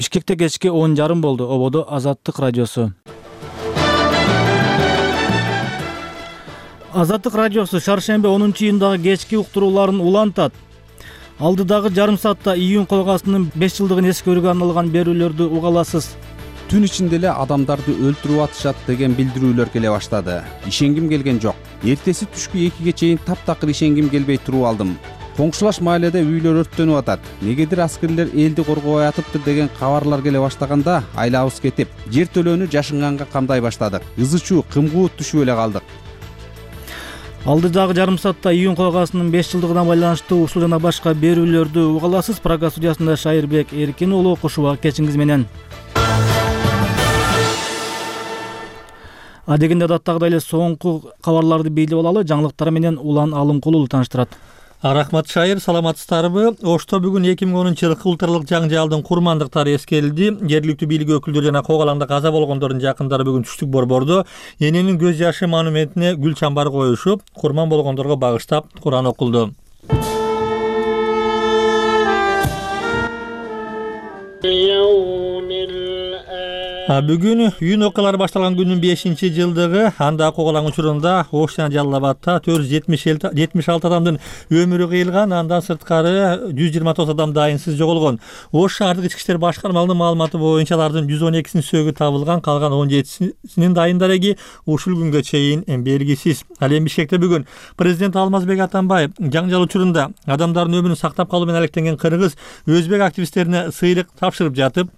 Бишкекте кечки 10:30 болду. Ободо Азаттык радиосу. Азаттык радиосу шаршемби 10-июндагы кечки уктурууларын улантат. Алдыдагы жарым саатта июнь койгасынын 5 жылдыгын эскерүүгө арналган берүүлөрдү уга аласыз. Түн ичинде эле адамдарды өлтүрүп атышат деген билдирүүлөр келе баштады. Ишенгим келген жок. Эртеси түшкү 2ге чейин таптакыр ишенгим келбей туруп алдым. Коңшулаш мааледе үйлөр өрттөнүп атат. Негедир аскерлер элди коргобой атыптыр деген кабарлар келе баштаганда айлабыз кетип, жер төлөөнү жашынганга камдай баштадык. Ызы-чуу, кымгуут түшүп эле калдык. Алдыдагы жарым саатта июнь койгасынын 5 жылдыгына байланыштуу ушул жана башка берүүлөрдү уга аласыз. Программа студиясында Шайырбек Эркин уулу, кошуба кечиңиз менен. Адегенде адаттагыдай эле соңку кабарларды билип алалы. Жаңылыктар менен Улан Алымкулов тааныштырат. Рахмат Шайыр, саламатсыздарбы? Ошто бүгүн 2010-жылкы улуттаралык жаңжалдын курмандыктары эскерилди. Жергиликтүү бийлик өкүлдөрү жана кок алаңда каза болгондордун жакындары бүгүн түштүк борбордо эненин көз жашы монументине гүл чамбар коюшуп, курман болгондорго багыштап Куран окулду. Бүгүн июнь окуялары башталган күнүн 5-жылдыгы. Анда кок алаң учурунда Ош жана Жалал Абадта 476 адамдын өмүрү кыйылган. Андан сырткары 129 адам дайынсыз жоголгон. Ош шаардык ички иштер башкармалыгынын маалыматы боюнча алардын 112-синин сөөгү табылган, калган 17-синин дайын дареги ушул күнгө чейин белгисиз. Ал эми Бишкекте бүгүн президент Алмазбек Атамбаев жаңжал учурунда адамдардын өмүрүн сактап калуу менен алектенген кыргыз, өзбек активисттерине сыйлык тапшырып жатып,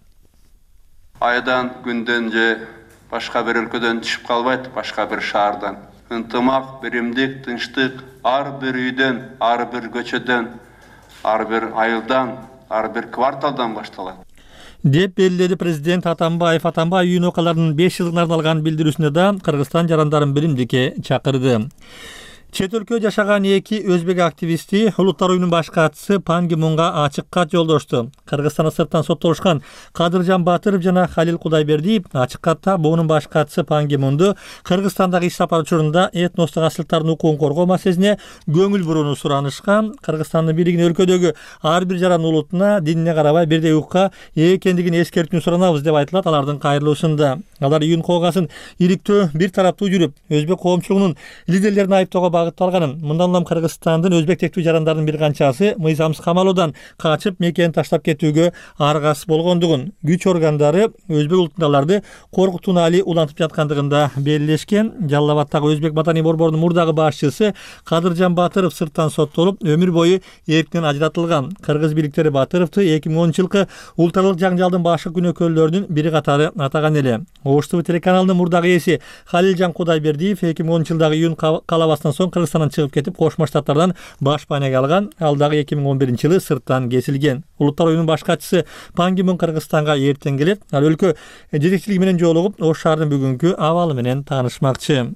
айдан күндөн же башка бир өлкөдөн түшүп калбайт, башка бир шаардан. Ынтымак, биримдик, тынчтык ар бир үйдөн, ар бир көчөдөн, ар бир айылдан, ар бир кварталдан башталат деп белгиледи президент Атамбаев. Атамбаев июнь окуяларынын 5 жылдыгына арналган билдирүүсүндө да Кыргызстан жарандарын биримдикке чакырды. Чет өлкөдө жашаган эки өзбек активисти Улуттар уюмунун баш катчысы Пан Ги Мунга ачык кат жолдошту. Кыргызстанда сырттан соттолушкан Кадыржан Батыров жана Халил Кудайбердиев ачык катта буунун баш катчысы Пан Ги Мунду Кыргызстандагы иш сапар учурунда этностук асылтардын укугун коргоо маселесине көңүл бурууну суранышкан. Кыргызстандын бийлигине өлкөдөгү ар бир жаран улутуна, динине карабай бирдей укукка ээ экендигин эскертүүнү суранабыз деп айтылат алардын кайрылуусунда. Алар июнь койгасын иликтөө бир тараптуу жүрүп, өзбек коомчулугунун лидерлерин айыптоого багытталганын, мындан улам Кыргызстандын өзбек тектүү жарандардын бир канчасы мыйзамсыз камалуудан качып мекенин таштап кетүүгө аргасыз болгондугун, күч органдары өзбек улутундагыларды коркутууну али улантып жаткандыгында белгилешкен. Жалал Абадтагы өзбек маданий борборунун мурдагы башчысы Кадыржан Батыров сырттан соттолуп, өмүр бою эрктен ажыратылган. Кыргыз бийликтери Батыровду 2010-жылкы улуттаралык жаңжалдын башкы күнөөкөрлөрүнүн бири катары атаган эле. Ош ТВ телеканалынын мурдагы ээси Халилжан Кудайбердиев 2010-жылдагы июнь калабасынан соң Кыргызстандан чыгып кетип, Кошмо Штаттардан баш байнеге алган. Ал дагы 2011-жылы сырттан кесилген. Улуттар уюмунун баш катчысы Пан Ги Мун Кыргызстанга эртең келет. Ал өлкө жетекчилиги менен жолугуп, Ош шаарынын бүгүнкү абалы менен таанышмакчы.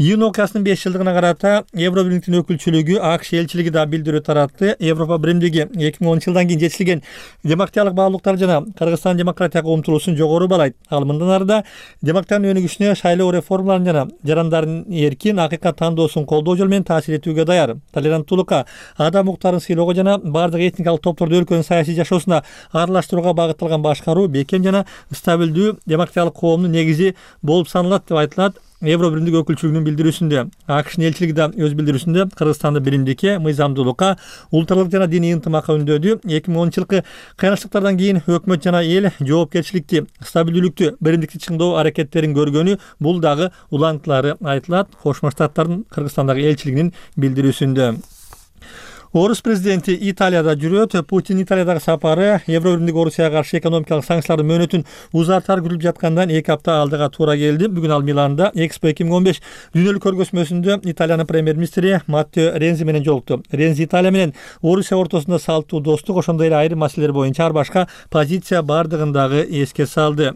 Июнь окуясынын 5 жылдыгына карата Евробиримдиктин өкүлчүлүгү АКШ элчилиги да билдирүү таратты. Европа биримдиги 2010-жылдан кийин жетишилген демократиялык баалуулуктар жана Кыргызстан демократияга умтулуусун жогору балайт. Ал мындан арыда демократиянын өнүгүшүнө шайлоо реформаларын жана жарандардын эркин акыйкат тандоосун колдоо жолу менен таасир этүүгө даяр. Толеранттуулукка, адам укуктарын сыйлоого жана бардык этникалык топторду өлкөнүн саясий жашоосуна аралаштырууга багытталган башкаруу бекем жана стабилдүү демократиялык коомдун негизи болуп саналат деп айтылат. Евробиримдик өкүлчүлүгүнүн билдирүүсүндө. АКШнын элчилиги да өз билдирүүсүндө Кыргызстанды биримдикке, мыйзамдуулукка, улуттаралык жана диний ынтымакка үндөдү. 2010-жылкы кыйынчылыктардан кийин өкмөт жана эл жоопкерчиликти, стабилдүүлүктү, биримдикти чыңдоо аракеттерин көргөнү бул дагы улантылары айтылат. Кошмо Штаттардын Кыргызстандагы элчилигинин билдирүүсүндө. Орус президенти Италияда жүрөт. Путин Италиядагы сапары Евробиримдик Орусияга каршы экономикалык санкциялардын мөөнөтүн узартар күтүлүп жаткандан 2 апта алдыга туура келди. Бүгүн ал Миланда Экспо 2015 дүйнөлүк көргөзмөсүндө Италиянын премьер-министри Маттео Рензи менен жолукту. Рензи Италия менен Орусия ортосунда салттуу достук, ошондой эле айрым маселелер боюнча ар башка позиция бардыгындагы эске салды.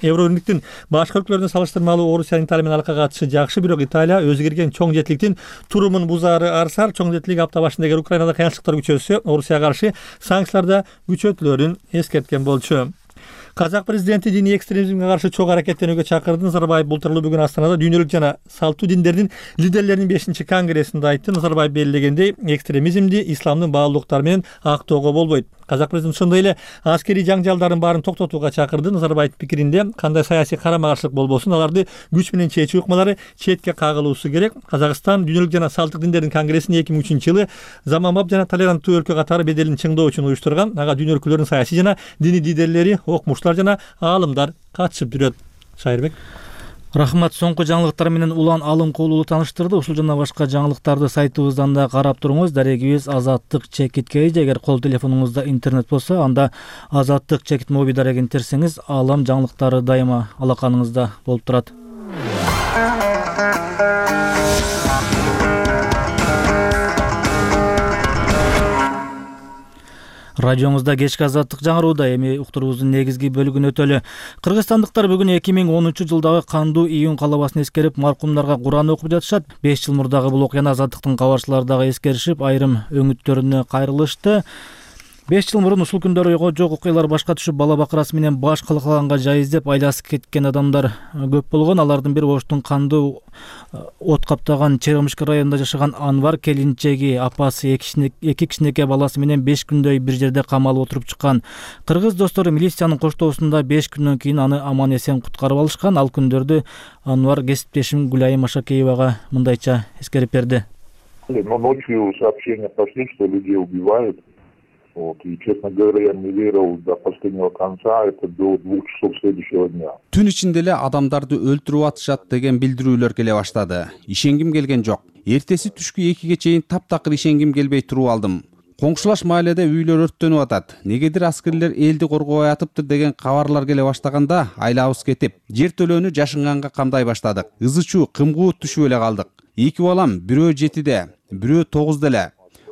Евробиримдиктин башка өлкөлөрүнө салыштырмалуу Орусиянын Италия менен алакага катышы жакшы, бирок Италия өзгөрген чоң жетиликтин турумун бузаары арсар. Чоң жетилик апта башында эгер Украинада кыйынчылыктар күчөсө, Орусияга каршы санкцияларда күчөтүлөрүн эскерткен болчу. Казак президенти диний экстремизмге каршы чоң аракеттенүүгө чакырды. Назарбаев бултурлуу бүгүн Астанада дүйнөлүк жана салттуу диндердин лидерлеринин 5-чи конгрессинде айтты. Назарбаев белгилегендей, экстремизмди исламдын баалуулуктары менен актоого болбойт. Казак президенти ошондой эле аскерий жаңжалдардын баарын токтотууга чакырды. Назарбаевдин пикиринде кандай саясий карама-каршылык болбосун аларды күч менен чечүү ыкмалары четке кагылуусу керек. Казакстан Дүйнөлүк жана салттык диндердин конгрессин 2003-жылы заманбап жана толеранттуу өлкө катары беделин чыңдоо үчүн уюштурган. Ага дүйнө өлкөлөрүнүн саясий жана диний лидерлери, окумуштар жана аалымдар катышып жүрөт. Шайырбек. Рахмат. Соңку жаңылыктар менен Улан Алымкулуу тааныштырды. Ушул жана башка жаңылыктарды сайтыбыздан да карап туруңуз. Дарегибиз Азаттык чекит KG. Эгер кол телефонуңузда интернет болсо, анда Азаттык чекит моби дарегин терсеңиз, аалам жаңылыктары дайыма алаканыңызда болуп турат. Радиомузда кечки азаттык жаңырууда. Эми уктуруубуздун негизги бөлүгүн өтөлү. Кыргызстандыктар бүгүн 2013-жылдагы кандуу июнь калабасын эскерип, маркумдарга Куран окуп жатышат. 5 жыл мурдагы бул окуяны азаттыктын кабарчылары дагы эскеришип, айрым өңүттөрүнө кайрылышты. 5 жыл мурун ушул күндөрү ойго жок окуялар башка түшүп, бала бакырасы менен баш калкаганга жай издеп айласып кеткен адамдар көп болгон. Алардын бири Оштун кандуу от каптаган Черемушка районунда жашаган Анвар. Келинчеги, апасы, эки кичинекей баласы менен 5 күндөй бир жерде камалып отуруп чыккан. Кыргыз достору милициянын коштоосунда 5 күндөн кийин аны аман эсен куткарып алышкан. Ал күндөрдү Анвар кесиптешим Гуляйым Ашакеевага мындайча эскерип берди. Ночью сообщения пошли, что людей убивают. И, честно говоря, я не верил до последнего конца, это до 2 часов следующего дня. Түн ичинде эле адамдарды өлтүрүп атышат деген билдирүүлөр келе баштады. Ишенгим келген жок. Эртеси түшкү 2ге чейин таптакыр ишенгим келбей туруп алдым. Коңшулаш мааледе үйлөр өрттөнүп атат. Негедир аскерлер элди коргобой атыптыр деген кабарлар келе баштаганда айлабыз кетип, жер төлөөнү жашынганга камдай баштадык. Ызычуу, кымгуут түшүп эле калдык. 2 балам, бирөө 7-де, бирөө 9-да эле.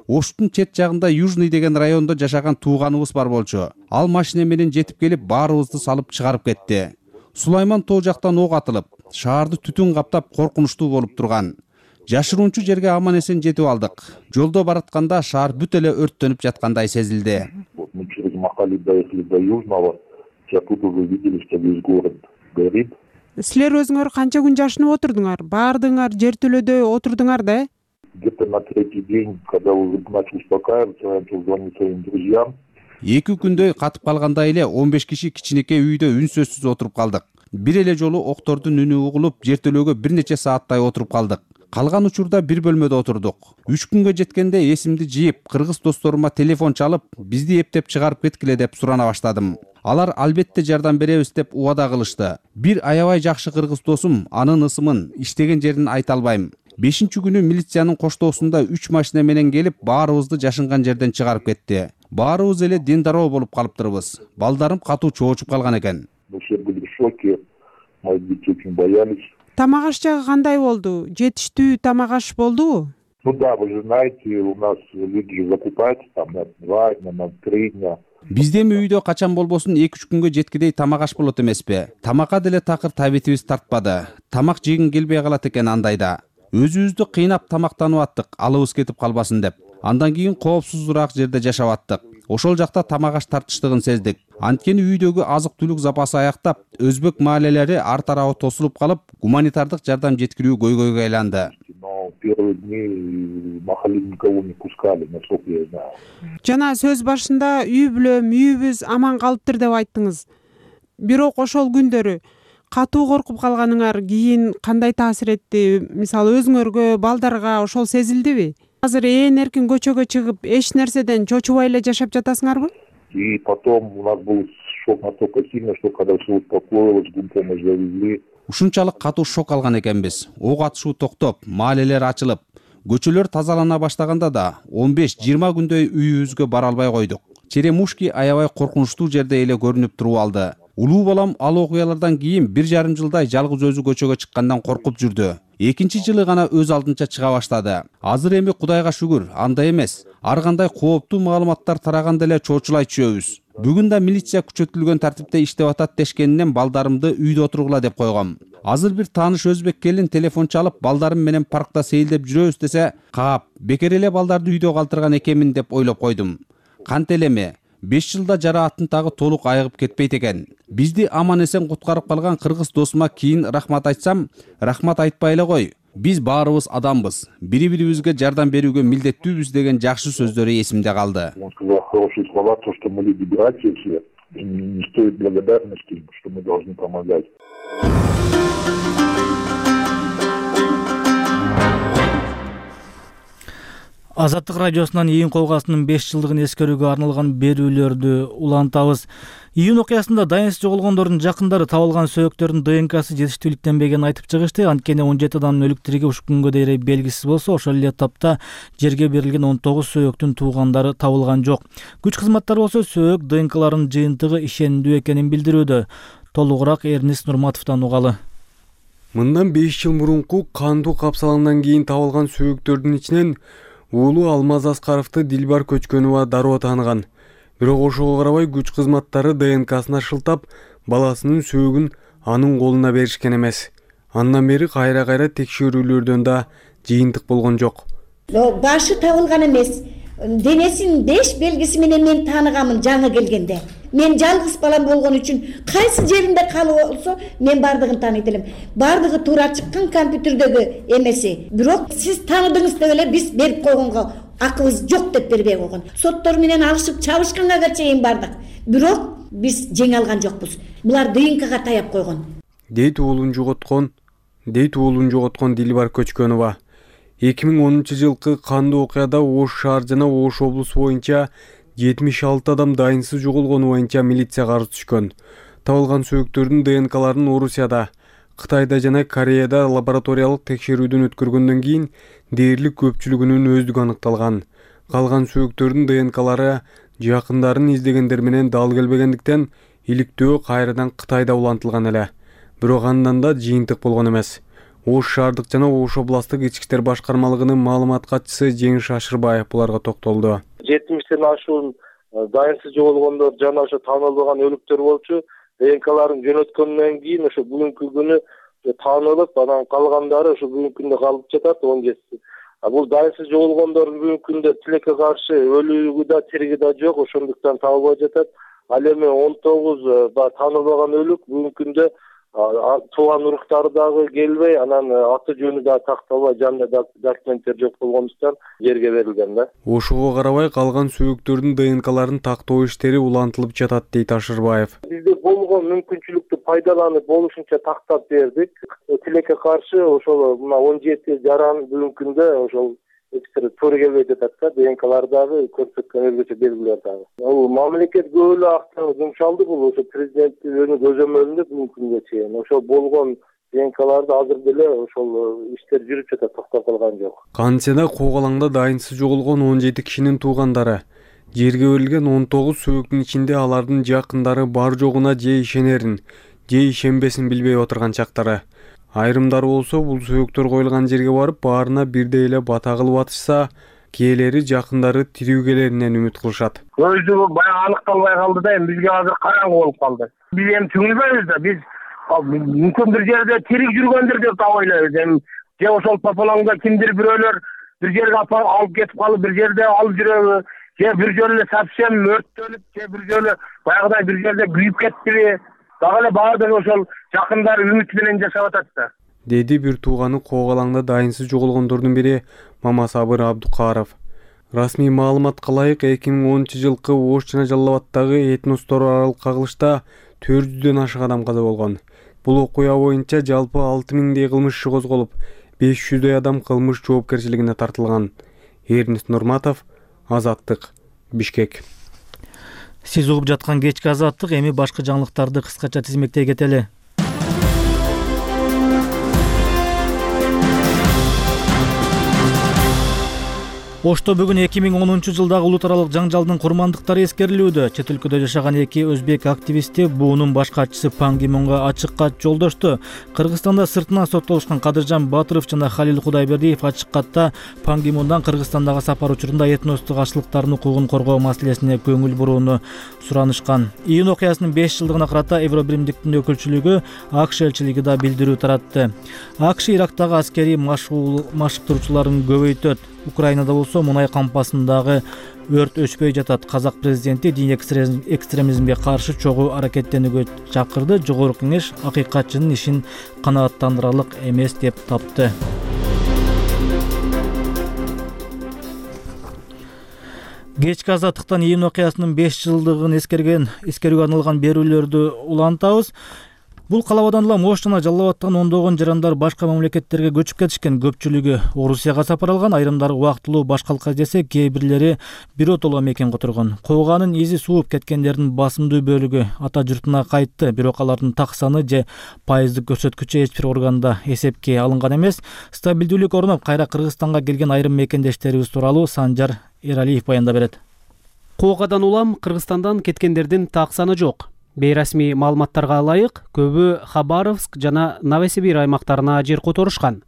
Оштун чет жагында Южный деген райондо жашаган тууганыбыз бар болчу. Ал машина менен жетип келип, баарыбызды салып чыгарып кетти. Сулайман тоо жактан ок атылып, шаарды түтүн каптап коркунучтуу болуп турган. Жашыруунчу жерге аман эсен жетип алдык. Жолдо баратканда шаар бүт эле өрттөнүп жаткандай сезилди. Мы через Махали доехали до Южного, и оттуда уже видели, что весь город горит. Силер өзүңөр канча күн жашынып отурдуңар? Баардыгыңар жер төлөдө отурдуңар да? Где-то на 3-й день, когда уже начал успокаиваться, я начал звонить своим друзьям. 2 күндөй катып калгандай эле 15 киши кичинекей үйдө үнсөзсүз отуруп калдык. Бир эле жолу октордун үнү угулуп, жер төлөөгө бир нече сааттай отуруп калдык. Калган учурда бир бөлмөдө отурдук. 3 күнгө жеткенде эсимди жыйып, кыргыз досторума телефон чалып, бизди эптеп чыгарып кеткиле деп сурана баштадым. Алар албетте жардам беребиз деп убада кылышты. Бир аябай жакшы кыргыз досум анын ысымын, иштеген жерин айта албайм. 5-күнү милициянын коштоосунда 3 машина менен келип, баарыбызды жашынган жерден чыгарып кетти. Баарыбыз эле диндароо болуп калыптырбыз. Балдарым катуу чоочуп калган экен. Все были в шоке, мои дети очень боялись. Тамак аш жагы кандай болду? Жетиштүү тамак аш болдубу? Ну да, вы же знаете, у нас люди же закупаются там на 2 дня, на 3 дня. Бизде үйдө качан болбосун 2-3 күнгө жеткидей тамак аш болот эмеспи? Тамакка деле такыр табитибиз тартпады. Тамак жегин келбей калат экен андайда. Өзүбүздү кыйнап тамактанып аттык, алыбыз кетип калбасын деп. Андан кийин коопсузураак жерде жашап аттык. Ошол жакта тамак аш тартыштыгын сездик. Анткени үйдөгү азык-түлүк запасы аяктап, өзбек маалелери ар тарабы тосулуп калып, гуманитардык жардам жеткирүү көйгөйгө айланды. Но первые дни Махали никого не пускали, насколько я знаю. Жана сөз башында үй бүлөм, үйүбүз аман калыптыр деп айттыңыз. Бирок ошол күндөрү катуу коркуп калганыңар кийин кандай таасир этти? Мисалы өзүңөргө, балдарга ошол сезилдиби? Азыр эркин көчөгө чыгып, эч нерседен чочубай эле жашап жатасыңарбы? И потом у нас был шок настолько сильный, что когда все успокоилось, гумпомощь завезли. Ушунчалык катуу шок алган экенбиз. Ок атышуу токтоп, маалелер ачылып, көчөлөр тазалана баштаганда да 15-20 күндөй үйүбүзгө бара албай койдук. Черемушки аябай коркунучтуу жерде эле көрүнүп туруп алды. Улуу балам ал окуялардан кийин 1,5 жылдай жалгыз өзү көчөгө чыккандан коркуп жүрдү. 2-чи жылы гана өз алдынча чыга баштады. Азыр эми Кудайга шүгүр, андай эмес. Ар кандай кооптуу маалыматтар тараганда эле чоочулай түшөбүз. Бүгүн да милиция күчөтүлгөн тартипте иштеп атат дешкенинен балдарымды үйдө отургула деп койгом. Азыр бир тааныш өзбек келин телефон чалып, балдарым менен паркта сейилдеп жүрөбүз десе, каап, бекер эле балдарды үйдө калтырган экенмин деп ойлоп койдум. Кант элеме? 5 жылда жара аттын толук айыгып кетпейт экен. Бизди аман эсен куткарып калган кыргыз досума кийин рахмат айтсам, рахмат айтпай эле кой. Биз баарыбыз адамбыз, бири-бирибизге жардам берүүгө милдеттүүбүз деген жакшы сөздөрү эсимде калды. Он сказал хорошие слова, то, что мы люди братья все, и не стоит благодарности, что мы должны помогать. Азаттык радиосунан июнь колгасынын 5 жылдыгын эскерүүгө арналган берүүлөрдү улантабыз. Июнь окуясында дайынсыз жоголгондордун жакындары табылган сөөктөрдүн ДНКсы жетиштүүлүктенбегенин айтып чыгышты. Анткени 17 адамдын өлүк тириги ушул күнгө дейин белгисиз болсо, ошол эле тапта жерге берилген 19 сөөктүн туугандары табылган жок. Күч кызматтары болсо сөөк ДНКларынын жыйынтыгы ишендүү экенин билдирүүдө. Толугураак Эрнис Нурматовдон угалы. Мындан 5 жыл мурунку кандуу капсаландан кийин табылган сөөктөрдүн ичинен уулу Алмаз Аскаровду Дилбар Көчкөнова дароо тааныган. Бирок ошого карабай күч кызматтары ДНКсын шылтап, баласынын сөөгүн анын колуна беришкен эмес. Андан бери кайра текшерүүлөрдөн да жыйынтык болгон жок. Башы табылган эмес. Денесинин 5 белгиси менен мен тааныганмын жаңы келгенде. Мен жалгыз балам болгон үчүн кайсы жеринде калып болсо мен бардыгын тааныйт элем. Бардыгы туура чыккан компьютердеги эмеси. Бирок сиз тааныдыңыз деп эле биз берип койгонго акыбыз жок деп бербей койгон. Соттор менен алышып чабышканга чейин бардык. Бирок биз жеңе алган жокпуз. Булар ДНКга таяп койгон. Дейт уулун жоготкон Дилбар Көчкөнова. 2010 жылкы кандуу окуяда Ош шаар жана Ош облусу боюнча 76 адам дайынсыз жоголгону боюнча милицияга арыз түшкөн. Табылган сөөктөрдүн ДНКларын Орусияда, Кытайда жана Кореяда лабораториялык текшерүүдөн өткөргөндөн кийин дээрлик көпчүлүгүнүн өздүгү аныкталган. Калган сөөктөрдүн ДНКлары жакындарын издегендер менен дал келбегендиктен иликтөө кайрадан Кытайда улантылган эле. Бирок андан да жыйынтык болгон эмес. Ош шаардык жана Ош областык ички иштер башкармалыгынын маалымат катчысы Жеңиш Ашырбаев буларга токтолду. 70ден ашуун дайынсыз жоголгондор жана ошо таанылбаган өлүктөр болчу. ДНКларын жөнөткөндөн кийин ошо бүгүнкү күнү таанылып, анан калгандары ошо бүгүнкү күндө калып жатат 17. Бул дайынсыз жоголгондордун бүгүнкү күндө тилекке каршы өлүгү да тириги да жок, ошондуктан табылбай жатат. Ал эми 19 таанылбаган өлүк бүгүнкү күндө тууган уруктары дагы келбей, анан аты жөнү да такталбай, жанында документтер жок болгондуктан жерге берилген да. Ошого карабай калган сөөктөрдүн ДНКларын тактоо иштери улантылып жатат, дейт Ашырбаев. Бизде болгон мүмкүнчүлүктү пайдаланып болушунча тактап бердик. Тилекке каршы ошол мына 17 жаран бүгүнкү күндө ошол туура келбей жатат да, ДНКлар дагы көрсөткөн өзгөчө белгилер дагы. Бул мамлекет көп эле акчаны жумшалды, бул ошо президенттин көзөмөлүндө бүгүнкү күнгө чейин. Ошол болгон ДНКларды азыр деле ошол иштер жүрүп жатат, токтоп калган жок. Кантсе да Когалаңда дайынсыз жоголгон 17 кишинин туугандары жерге берилген 19 сөөктүн ичинде алардын жакындары бар жогуна же ишенерин, же ишенбесин билбей отурган чактары. Айрымдары болсо бул сөөктөр коюлган жерге барып, баарына бирдей эле бата кылып атышса, кээleri жакындары тирүү келеринен үмүт кылышат. Өзү баягы аныкталбай калды да, эми бизге азыр караңгы болуп калды. Биз эми түңүлбөйбүз да, биз мүмкүн бир жерде тирик жүргөндүр деп ойлойбуз. Эми же ошол пополаңда кимдир бирөөлөр бир жерге алып кетип калып, бир жерде алып жүрөбү, же бир жолу эле совсем өрттөнүп, же бир жолу баягыдай бир жерде күйүп кеттиби? Дагы эле баардыгы ошол жакындары үмүт менен жашап атат да. Деди бир тууганы Когалаңда дайынсыз жоголгондордун бири Мамасабыр Абдукаров. Расмий маалыматка ылайык 2010 жылкы Ош жана Жалал Абаддагы этностор аралык кагылышта 400дөн ашык адам каза болгон. Бул окуя боюнча жалпы 6000дей кылмыш иши козголуп, 500дөй адам кылмыш жоопкерчилигине тартылган. Эрнис Нурматов, Азаттык, Бишкек. Сиз угуп жаткан кечки Азаттык, эми башка жаңылыктарды кыскача тизмектей кетели. Ошто бүгүн 2010 жылдагы улут аралык жаңжалдын курмандыктары эскерилүүдө. Чет өлкөдө жашаган эки өзбек активисти буунун баш катчысы Пан Ги Мунга ачык кат жолдошту. Кыргызстанда сыртынан соттолушкан Кадыржан Батыров жана Халил Кудайбердиев ачык катта Пан Ги Мундан Кыргызстандагы сапар учурунда этностук ашылыктардын укугун коргоо маселесине көңүл бурууну суранышкан. Июнь окуясынын 5 жылдыгына карата Евробиримдиктин өкүлчүлүгү АКШ элчилиги да билдирүү таратты. АКШ Ирактагы аскерий машыктыруучуларын көбөйтөт. Украинада болсо мунай кампасындагы өрт өчпөй жатат. Казак президенти дин экстремизмге каршы чогуу аракеттенүүгө чакырды. Жогорку кеңеш акыйкатчынын ишин канааттандырарлык эмес деп тапты. Кечки азаттыктан июнь окуясынын 5 жылдыгын эскерүүгө арналган берүүлөрдү улантабыз. Бул калабадан улам Ош жана Жалал Абадтан ондогон жарандар башка мамлекеттерге көчүп кетишкен. Көпчүлүгү Орусияга сапар алган, айрымдары убактылуу башка алка издесе, кээ бирлери биротоло мекен которгон. Кууганын изи сууп кеткендердин басымдуу бөлүгү ата журтуна кайтты, бирок алардын так саны же пайыздык көрсөткүчү эч бир органда эсепке алынган эмес. Стабилдүүлүк орноп, кайра Кыргызстанга келген айрым мекендештерибиз тууралуу Санжар Эралиев баяндап берет. Куугадан улам Кыргызстандан кеткендердин так саны жок. Бейрасмий маалыматтарга ылайык, көбү Хабаровск жана Новосибир аймактарына жер которушкан.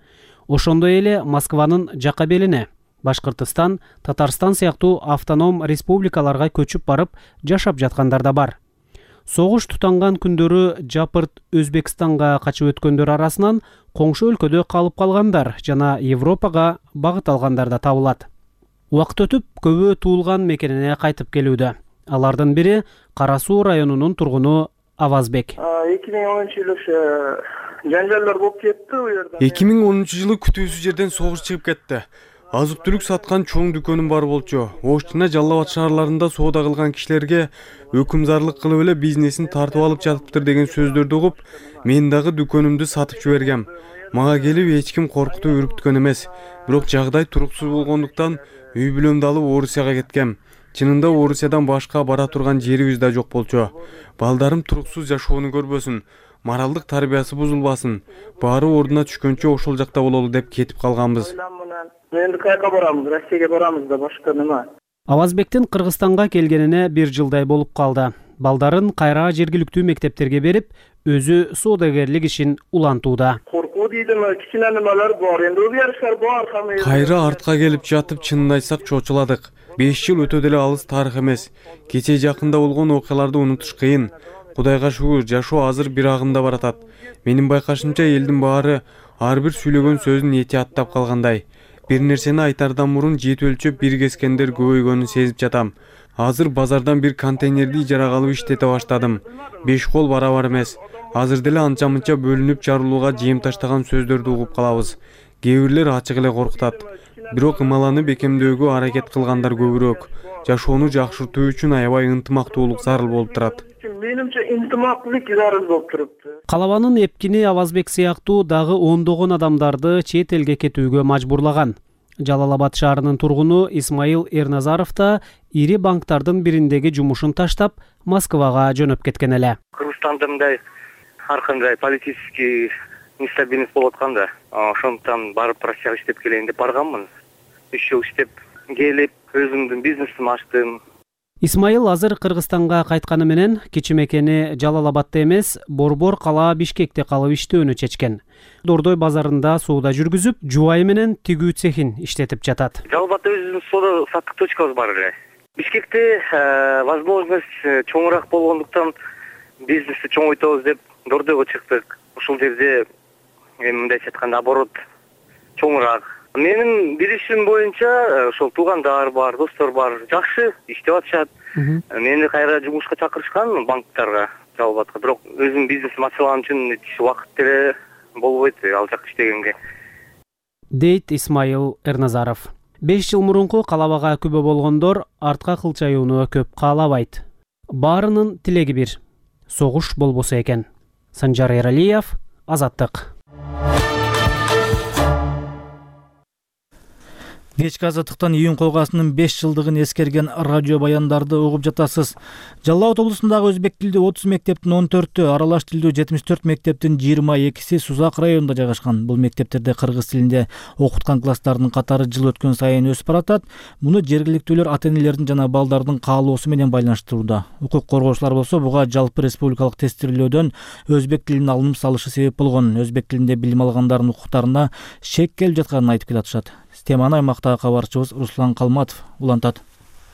Ошондой эле Москванын жакка белине, Башкыртыстан, Татарстан сыяктуу автоном республикаларга көчүп барып жашап жаткандар да бар. Согуш тутанган күндөрү жапырт Өзбекстанга качып өткөндөр арасынан коңшу өлкөдө калып калгандар жана Европага багыт алгандар да табылат. Убакыт өтүп, көбү туулган мекенине кайтып келүүдө. Алардын бири Кара Суу районунун тургуну Авазбек. 2010-жылы жаңжалдар болуп кетти у жерде. 2010-жылы күтүүсүз жерден согуш чыгып кетти. Азык-түлүк саткан чоң дүкөнүм бар болчу. Ош жана Жалал Абад шаарларында соода кылган кишилерге өкүмзарлык кылып эле бизнесин тартып алып жатыптыр деген сөздөрдү угуп, мен дагы дүкөнүмдү сатып жибергем. Мага келип эч ким коркутуп үркүткөн эмес. Бирок жагдай туруксуз болгондуктан үй бүлөмдү алып Орусияга кеткем. Чынында Орусиядан башка бара турган жерибиз да жок болчу. Балдарым туруксуз жашоону көрбөсүн, моралдык тарбиясы бузулбасын, баары ордуна түшкөнчө ошол жакта бололу деп кетип калганбыз. Энди кайка барабыз, Россияга барабыз да башка нема. Авазбектин Кыргызстанга келгенине 1 жылдай болуп калды. Балдарын кайра жергиликтүү мектептерге берип, өзү соодагерлик ишин улантууда. Коркуу дейдим, кичине немелер бар, энди өзгөрүштөр бар. Кайра артка келип жатып, чынын айтсак чочуладык. 5 жыл өтө деле алыс тарых эмес. Кече жакында болгон окуяларды унутуш кыйын. Кудайга шүгүр, жашоо азыр бир агымда баратат. Менин байкашымча элдин баары ар бир сүйлөгөн сөзүн эти аттап калгандай. Бир нерсени айтардан мурун жети өлчөп бир кескендер көбөйгөнүн сезип жатам. Азыр базардан бир контейнерди ижарага алып иштете баштадым. 5 кол барабар эмес. Азыр деле анча-мынча бөлүнүп жарылууга жем таштаган сөздөрдү угуп калабыз. Кээ бирлер ачык эле коркутат. Бирок ымаланы бекемдөөгө аракет кылгандар көбүрөөк. Жашоону жакшыртуу үчүн аябай ынтымактуулук зарыл болуп турат. Менимче ынтымактуулук зарыл болуп турупту. Калабанын эпкини Авазбек сыяктуу дагы ондогон адамдарды чет элге кетүүгө мажбурлаган. Жалал Абад шаарынын тургуну Исмаил Эрназаров да ири банктардын бириндеги жумушун таштап, Москвага жөнөп кеткен эле. Кыргызстанда мындай ар кандай политический нестабильность болуп атканда, ошондуктан барып Россияга иштеп келейин деп барганмын. 3 жыл иштеп келип, өзүмдүн бизнесимди ачтым. Исмаил азыр Кыргызстанга кайтканы менен кичи мекени Жалал Абадта эмес, Борбор кала Бишкекте калып иштөөнү чечкен. Дордой базарында соода жүргүзүп, жубайы менен тигүү цехин иштетип жатат. Жалал Абадта өзүбүздүн соода саттык точкабыз бар эле. Бишкекте возможность чоңураак болгондуктан бизнести чоңойтобуз деп Дордойго чыктык. Ушул жерде мындайча айтканда оборот чоңураак. Менин билишим боюнча ошол туугандар бар, достор бар, жакшы иштеп атышат. Мени кайра жумушка чакырышкан банктарга, Жалал Абадка. Бирок өзүмдүн бизнесим ачылган үчүн убакыт деле болбойт ал жакка иштегенге. Дейт Исмаил Эрназаров. 5 жыл мурунку калабага күбө болгондор артка кылчаюуну көп каалабайт. Баарынын тилеги бир. Согуш болбосо экен. Санжар Эралиев, Азаттык. Кечки азаттыктан июнь койгасынын 5 жылдыгын эскерген радио баяндарды угуп жатасыз. Жалал Абад облусундагы өзбек тилдүү 30 мектептин 14-ө, аралаш тилдүү 74 мектептин 22си Сузак районунда жайгашкан. Бул мектептерде кыргыз тилинде окуткан класстардын катары жыл өткөн сайын өсүп баратат. Муну жергиликтүүлөр ата-энелердин жана балдардын каалоосу менен байланыштырууда. Укук коргоочулар болсо буга жалпы республикалык тестирлөөдөн өзбек тилин алынып салышы себеп болгон. Өзбек тилинде билим алгандардын укуктарына шек келип жатканын айтып келатышат. Теманы аймактагы кабарчыбыз Руслан Калматов улантат.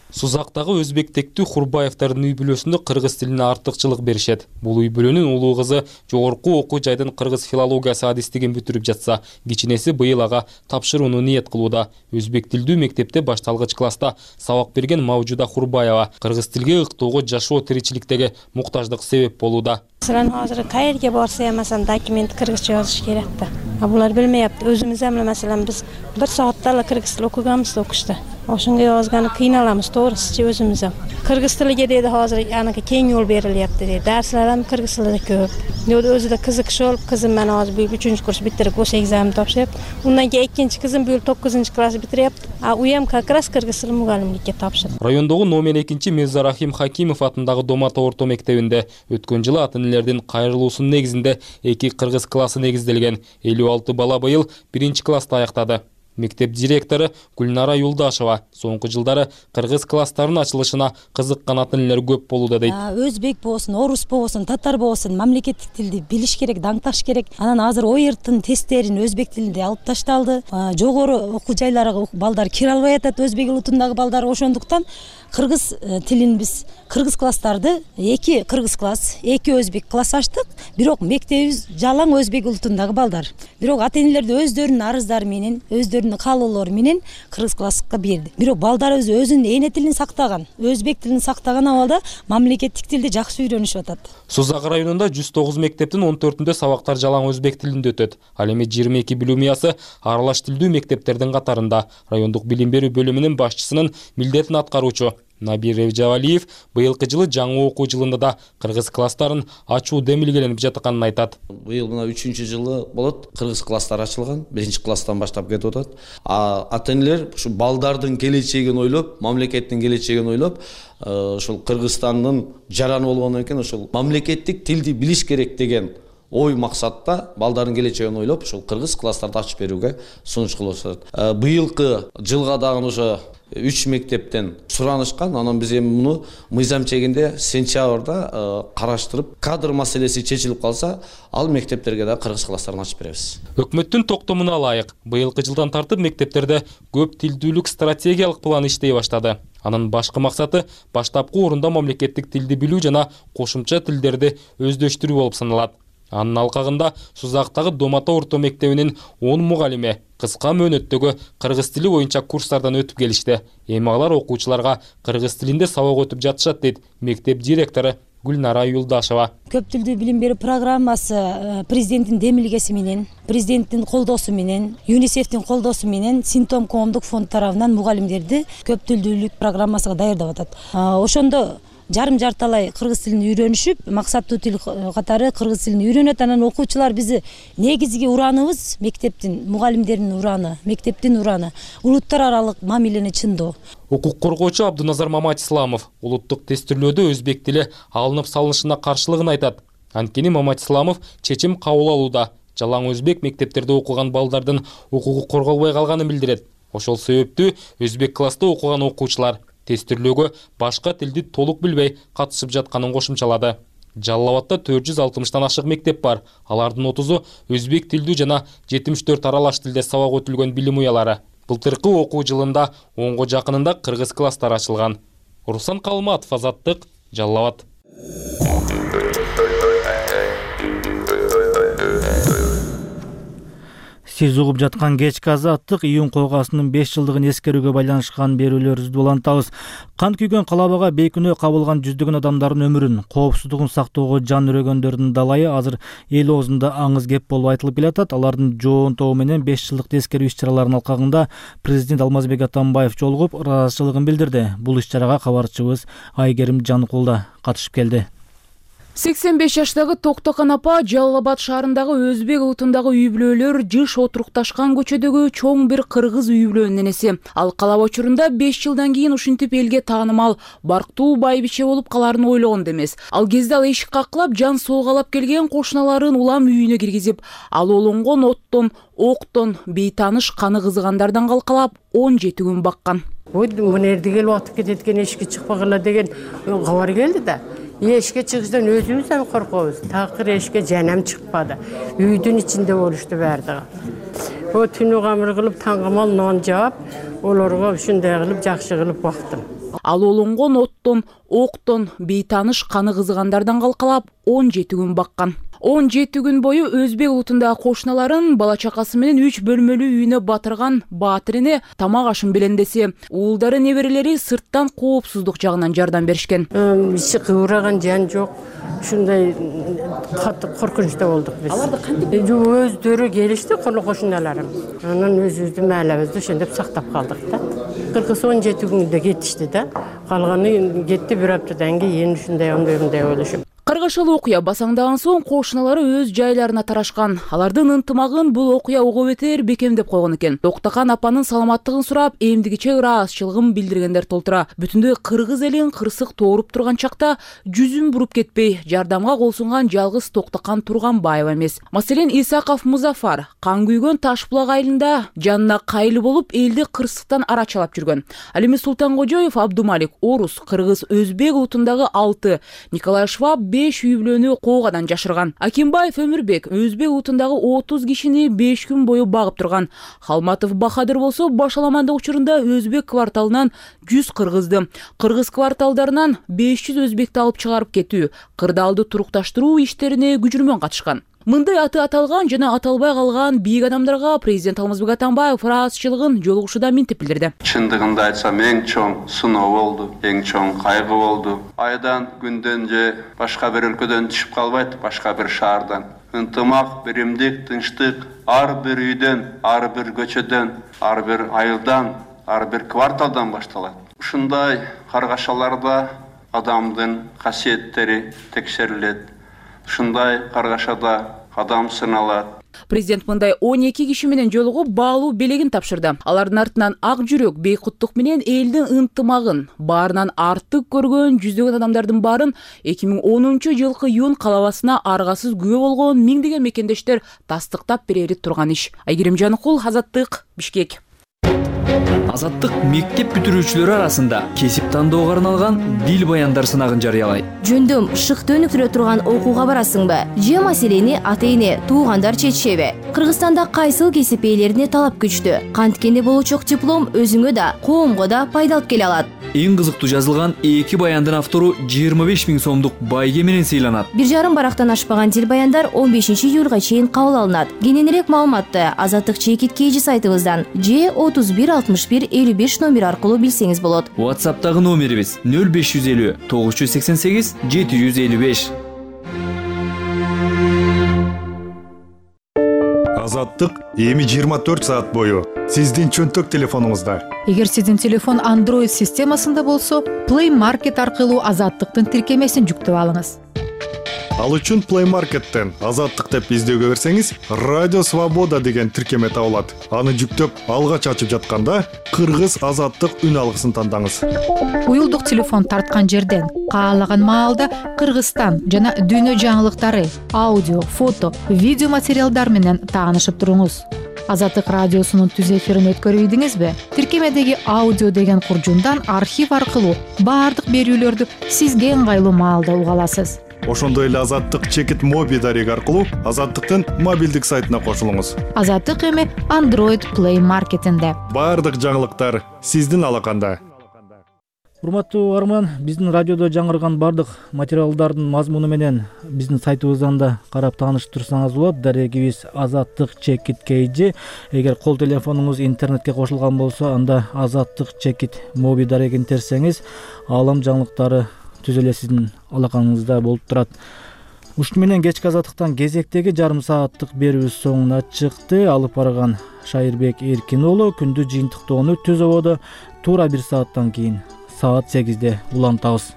Сузактагы өзбектектүү Хурбаевдардын үй бүлөсүндө кыргыз тилине артыкчылык беришет. Бул үй бүлөнүн улуу кызы жогорку окуу жайдын кыргыз филологиясы адистигин бүтүрүп жатса, кичинеси быйыл ага тапшырууну ниет кылууда. Өзбек тилдүү мектепте башталгыч класста сабак берген Мавжуда Хурбаева кыргыз тилге ыктоого жашоо тиричиликтеги муктаждык себеп болууда. Сыран азыр кайерге барса ямасан документ кыргызча жазыш керек да. Булар билмей апты. Өзүмүз эмне маселен биз 1 саатта эле кыргыз тил окуганбыз окушта. Ошонго озганы кыйналамыз, тоогрусучу өзүбүз. Кыргыз тилиге деди азыр аныкы кең жол берилиптир деди. Дарслар кыргыз тилинде көп. Өзү да кызыкчы болуп, кызым мен азыр 3 курс битирип, осы экзамен тапшырып, ундан кийин 2 кызым бул 9 класс битирип, а уям как раз кыргыз тили мугалимдикке тапшырды. Райондогу номер 2 Мирзарахим Хакимов атындагы Домата орто мектебинде өткөн жылы ата-энелердин кайрылуусунун негизинде 2 кыргыз классы негизделген. 56 бала быйыл 1 класста аяктады. Мектеп директору Гүлнара Юлдашева соңку жылдары кыргыз класстарынын ачылышына кызыккан ата-энелер көп болууда дейт. Өзбек болсун, орус болсун, татар болсун, мамлекеттик тилди билиш керек, даңкташ керек. Анан азыр ОЕРТтын тесттерин өзбек тилинде алып ташталды. Жогору окуу жайларга балдар кире албай атат, өзбек улутундагы балдар. Ошондуктан кыргыз тилин биз кыргыз класстарды 2 кыргыз класс, 2 өзбек класс ачтык. Бирок мектебибиз жалаң өзбек улутундагы балдар. Бирок ата-энелерди өздөрүнүн арыздары менен, өздөрүнүн каалоолору менен кыргыз класска берди. Бирок балдарыбыз өзүнүн эне тилин сактаган, өзбек тилин сактаган абалда мамлекеттик тилди жакшы үйрөнүшүп атат. Сузак районунда 109 мектептин 14-үндө сабактар жалаң өзбек тилинде өтөт. Ал эми 22 билим уясы аралаш тилдүү мектептердин катарында. Райондук билим берүү бөлүмүнүн башчысынын милдетин аткаруучу Набир Ревжавалиев быйылкы жылы жаңы окуу жылында да кыргыз класстарын ачуу демилгеленип жатканын айтат. Быйыл мына 3-чү жылы болот, кыргыз класстар ачылган, 1 класстан баштап кетип атат. Ата-энелер ушу балдардын келечегин ойлоп, мамлекеттин келечегин ойлоп, ушул Кыргызстандын жараны болгондон кийин ушул мамлекеттик тилди билиш керек деген ой максатта балдардын келечегин ойлоп, ушул кыргыз класстарды ачып берүүгө сунуш кылышат. Быйылкы жылга дагы ошо 3 мектептен суранышкан. Анан биз эми муну мыйзам чегинде сентябрда караштырып, кадр маселеси чечилип калса, ал мектептерге да кыргыз класстарын ачып беребиз. Өкмөттүн токтомуна ылайык, быйылкы жылдан тартып мектептерде көп тилдүүлүк стратегиялык планы иштей баштады. Анын башкы максаты баштапкы орунда мамлекеттик тилди билүү жана кошумча тилдерди өздөштүрүү болуп саналат. Анын алкагында Сузактагы Домата орто мектебинин 10 мугалиме кыска мөөнөттөгү кыргыз тили боюнча курстардан өтүп келишти. Эми алар окуучуларга кыргыз тилинде сабак өтүп жатышат дейт мектеп директору Гүлнара Юлдашева. Көп тилдүү билим берүү программасы президенттин демилгеси менен, президенттин колдоосу менен, ЮНИСЕФтин колдоосу менен Синтом коомдук фонд тарабынан мугалимдерди көп тилдүүлүк программасына даярдап атат. Ошондо жарым жарталай кыргыз тилин үйрөнүшүп, максаттуу тил катары кыргыз тилин үйрөнөт. Анан окуучулар бизи негизги урааныбыз мектептин, мугалимдердин ураны, мектептин ураны, улуттар аралык мамилени чындоо. Укук коргоочу Абдуназар Маматисламов улуттук тестирлөөдө өзбек тили алынып салынышына каршылыгын айтат. Анткени Маматисламов чечим кабыл алууда жалаң өзбек мектептерде окуган балдардын укугу корголбой калганын билдирет. Ошол себептүү өзбек класста окуган окуучулар тестирлөөгө башка тилди толук билбей катышып жатканын кошумчалады. Жалал Абадта 460тан ашык мектеп бар. Алардын 30-у өзбек тилдүү жана 74 аралаш тилде сабак өтүлгөн билим уялары. Былтыркы окуу жылында 10го жакынында кыргыз класстар ачылган. Руслан Калматов, Азаттык, Жалал Абад. Сиз угуп жаткан кечки Азаттык июнь койгасынын 5 жылдыгын эскерүүгө байланышкан берүүлөрүбүздү улантабыз. Кан күйгөн калабага бейкүнөө кабылган жүздөгөн адамдардын өмүрүн, коопсуздугун сактоого жан үрөгөндөрдүн далайы азыр эл оозунда аңыз кеп болуп айтылып келатат. Алардын жоонтоо менен 5 жылдык эскерүү иш-чараларынын алкагында президент Алмазбек Атамбаев жолугуп ыраазычылыгын билдирди. Бул иш-чарага кабарчыбыз Айгерим Жаныкул да катышып келди. 85 жаштагы Токтокан апа Жалал Абад шаарындагы өзбек улутундагы үй бүлөлөр жыш отурукташкан көчөдөгү чоң бир кыргыз үй бүлөнүн энеси. Ал калап учурунда 5 жылдан кийин ушинтип элге таанымал барктуу байбиче болуп калаарын ойлогон эмес. Ал кезде ал эшик каклап жан соогалап келген кошуналарын улам үйүнө киргизип, ал олонгон оттон, октон, бейтааныш каны кызыгандардан калкалап 17 күн баккан. Мына эрди келип атып кетет экен, эшикке чыкпагыла деген кабар келди да. Эшикке чыгышдан өзүбүз да коркобуз. Такыр эшикке жанам чыкпады. Үйдүн ичинде болушту бардыгы. О түнү камыр кылып таңгамал нон жаап, олорго ушундай кылып жакшы кылып бактым. Ал олонгон оттон, октон, бейтааныш каны кызыгандардан калкалап 17 күн баккан. 17 күн бою өзбек улутундагы кошуналарын бала чакасы менен 3 бөлмөлүү үйүнө батырган Баатирине тамак ашын белендесе, уулдары неберелери сырттан коопсуздук жагынан жардам беришкен. Ичи кыбыраган жан жок. Ушундай катты коркунучта болдук биз. Аларды кантип өздөрү келишти, кошуналарым. Анан өзүбүздүн маалабызды ошондоп сактап калдык да. 17 күндө кетишти да. Калганы кетти бир аптадан кийин ушундай андай болушуп. Кыргышыл окуя басаңдаган соң кошуналары өз жайларына тарашкан. Алардын ынтымагын бул окуя ого бетер бекемдеп койгон экен. Токтокан апанын саламаттыгын сурап, эмдигиче ыраазычылыгын билдиргендер толтура. Бүтүндөй кыргыз элин кырсык тооруп турган чакта жүзүн буруп кетпей, жардамга кол сунган жалгыз Токтокан Турганбаева эмес. Маселен, Исаков Музафар кан күйгөн Ташбулак айылында жанына кайыл болуп, элди кырсыктан арачалап жүргөн. Ал эми Султангожоев Абдумалик орус, кыргыз, өзбек утундагы 6, Николай Шваб 5 үй бүлөнү коогадан жашырган. Акимбаев Өмүрбек өзбек утундагы 30 кишини 5 күн бою багып турган. Халматов Бахадыр болсо башаламандык учурунда өзбек кварталынан 100 кыргызды, кыргыз кварталдарынан 500 өзбекти алып чыгарып кетүү, кырдаалды турукташтыруу иштерине күжүрмөн катышкан. Мындай аты аталган жана аталбай калган бийик адамдарга президент Алмазбек Атамбаев ыраазычылыгын жолугушууда минтип билдирди. Чындыгында айтсам, эң чоң сыноо болду, эң чоң кайгы болду. Айдан күндөн же башка бир өлкөдөн түшүп калбайт, башка бир шаардан. Ынтымак, биримдик, тынчтык ар бир үйдөн, ар бир көчөдөн, ар бир айылдан, ар бир кварталдан башталат. Ушундай каргашаларда адамдын касиеттери текшерилет. Ушундай каргашада адам сыналат. Президент мындай 12 киши менен жолугуп баалуу белегин тапшырды. Алардын артынан ак жүрөк, бейкуттук менен элдин ынтымагын, баарынан артык көргөн жүздөгөн адамдардын баарын 2010-жылкы июнь калабасына аргасыз күбө болгон миңдеген мекендештер тастыктап берери турган иш. Айгерим Жаныкул, Азаттык, Бишкек. Азаттык мектеп бүтүрүүчүлөрү арасында кесип тандоого арналган дил баяндар сынагын жарыялайт. Жөндөм шыкты өнүктүрө турган окууга барасыңбы? Же маселени ата-эне, туугандар чечишеби? Кыргызстанда кайсыл кесип ээлерине талап күчтүү? Канткенде болочок диплом өзүңө да, коомго да пайда алып келе алат. Эң кызыктуу жазылган 2 баяндын автору 25 000 сомдук байге менен сыйланат. 1,5 барактан ашпаган дил баяндар 15 июлга чейин кабыл алынат. Кененирээк маалыматты Азаттык чекит KG сайтыбыздан же 31 61 55 номер аркылуу билсеңиз болот. WhatsApp'тагы номерибиз 0550 988 755. Азаттык эми 24 саат бою сиздин чөнтөк телефонуңузда. Эгер сиздин телефон Android системасында болсо, Play Market аркылуу Азаттыктын тиркемесин жүктөп алыңыз. Ал үчүн Play Market'тен Азаттык деп издөөгө берсеңиз, Радио Свобода деген тиркеме табылат. Аны жүктөп, алгач ачып жатканда Кыргыз Азаттык үн алгысын тандаңыз. Уюлдук телефон тарткан жерден каалаган маалда Кыргызстан жана дүйнө жаңылыктары, аудио, фото, видео материалдар менен таанышып туруңуз. Азаттык радиосунун түз эфирин өткөрүп ийдиңизби? Тиркемедеги аудио деген куржундан архив аркылуу баардык берүүлөрдү сизге ыңгайлуу маалда уга аласыз. Ошондой эле Азаттык чекит моби дареги аркылуу Азаттыктын мобилдик сайтына кошулуңуз. Азаттык эми Android Play Market'инде. Баардык жаңылыктар сиздин алаканда. Урматтуу арман, биздин радиодо жаңырган бардык материалдардын мазмуну менен биздин сайтыбыздан да карап таанышып турсаңыз болот. Дарегибиз Азаттык чекит KG. Эгер кол телефонуңуз интернетке кошулган болсо, анда Азаттык чекит моби дарегин терсеңиз, аалам жаңылыктары түз эле сиздин алакаңызда болуп турат. Ушуну менен кечки Азаттыктан кезектеги жарым сааттык берүүбүз соңуна чыкты. Алып барган Шайырбек Эркин уулу күндү жыйынтыктоону Түз Ободо туура 1 сааттан кийин саат 8-де улантабыз.